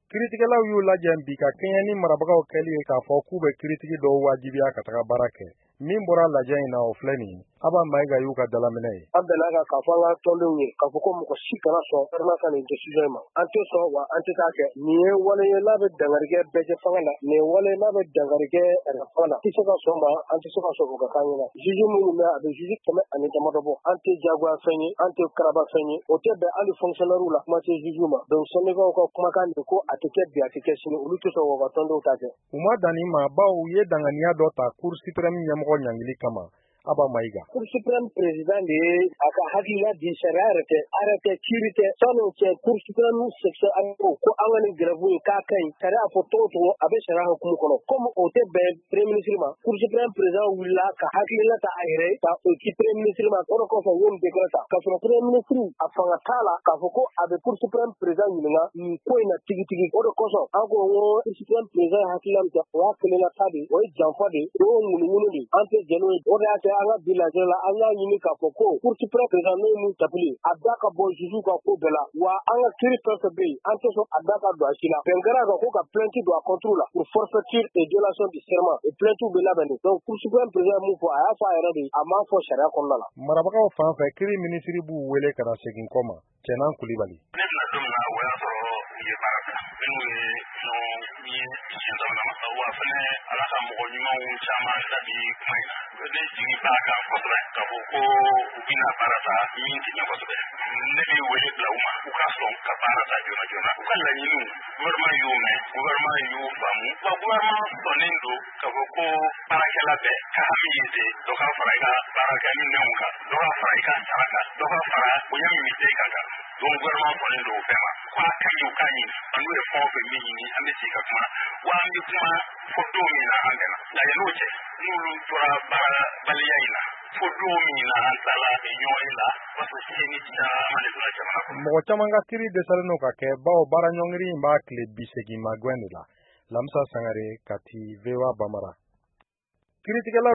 Kiritigɛlaw y'u lajɛ bi ka kɛɲɛ ni marabagaw kɛli ye k'a fɔ k'u bɛ kiritigi dɔw wajibiya ka taga baara kɛ. Min bɔra lajɛ in na, o filɛ nin ye. Aba Mayiga y'u ka dalaminɛ ye. An bɛnna kan k'a fɔ an ka tɔndenw ye k'a fɔ ko mɔgɔ si kana sɔn gouvernement ka nin décision in ma. An tɛ sɔn, wa an tɛ taa kɛ. Nin ye wale ye n'a bɛ dankari kɛ bɛɛ fanga la, nin ye wale n'a bɛ dankari kɛ fanga la. Tɛ se ka sɔn ma, an tɛ se ka sɔn o ka k'an ɲɛna. Juge minnu bɛ, a bɛ juge 100 ni damadɔ bɔ. An tɛ jagoya fɛn ye, an tɛ karaba fɛn ye. O tɛ bɛn hali fonctionnaire la, kuma tɛ juge ma. Donc syndicat ka kumakan de ko a tɛ kɛ bi, a tɛ kɛ sini, olu tɛ sɔn k'u ka tɔndenw ta kɛ. U ma dan nin ma, bawo u ye danganiya dɔ ta Cour suprême ɲɛmɔgɔ ɲangili kama. Aba Mayiga. Cour suprême président de ye a ka hakilina di. Sariya yɛrɛ tɛ, arrêté kiiri tɛ. San'o cɛ, Cour suprême section ko an ka nin grève in k'a ka ɲi, sariya fɔ cogo cogo, a bɛ sariya hukumu kɔnɔ. Comme o tɛ bɛn premier ministre ma, Cour suprême président wulila ka hakilina ta a yɛrɛ ye ka o ci premier ministre ma. O de kɔfɛ, u ye nin décret ta, k'a sɔrɔ premier ministre a fanga t'a la k'a fɔ ko a bɛ Cour suprême président ɲininka nin ko in na tigitigi. O de kosɔn an ko ko Cour suprême président ye hakilina min ta, o y'a kelenna ta de, o ye janfa de, o ye ŋunuŋunu de, an tɛ jɛn n'o ye. O de y'a kɛ an ka bi lajɛ la, an y'a ɲini k'a fɔ ko Cour suprême président, n'o ye mun tapili, a da ka bɔ juge ka ko bɛɛ la, wa an ka kiiri fɛn fɛn bɛ yen, an tɛ sɔn a da ka don a si la. Bɛn kɛra kan ko ka plainte don a contre la pour forfaiture et violation du serment, et plainte bɛ labɛn de. Donc Cour suprême président ye mun fɔ, a y'a fɔ a yɛrɛ de, a m'a fɔ sariya kɔnɔna la. Marabagaw fan fɛ, kiri minisiri b'u wele ka na segin kɔ ma. Cɛnan Kulibali. Ne bɛna don min na, o y'a sɔrɔ u ye baara bila minnu ye ɲɔgɔn ye siɲɛ sabanan ma. Wa fɛnɛ, Ala ka mɔgɔ ɲumanw caman da bi kuma in na. Ne jigi b'a kan kosɛbɛ k'a fɔ ko u bɛna baara ta min tɛ ɲɛ kosɛbɛ. Ne bɛ wele bila u ma, u ka sɔn ka baara ta joona joona. U ka laɲiniw, gouvernement y'u mɛn, gouvernement y'u faamu, wa gouvernement sɔnnen don k'a fɔ ko baarakɛla bɛɛ ka hami ye de dɔ ka fara i ka baarakɛ minɛnw kan, dɔ ka fara i ka sara kan, dɔ ka fara bonya min bɛ i kan kan. Donc gouvernement sɔnnen don o bɛɛ ma ko a ka ɲi, u k'a ɲini. An n'u ye fɛn o fɛn min ɲini, an bɛ sigi ka kuma, wa an bɛ kuma fo don min na an bɛnna. Nka yan'o cɛ, n'olu tora baarabaliya in na fo don min na an taala ɲɔgɔn la, parce que tiɲɛni caman de donna jamana kɔnɔ. Mɔgɔ caman ka kiri dɛsɛlen don ka kɛ, bawo baara ɲɔngiri in b'a tile 80 magɛn de la. Lamisa Sangare, Kati, VOA Bamara. Kiritigɛlaw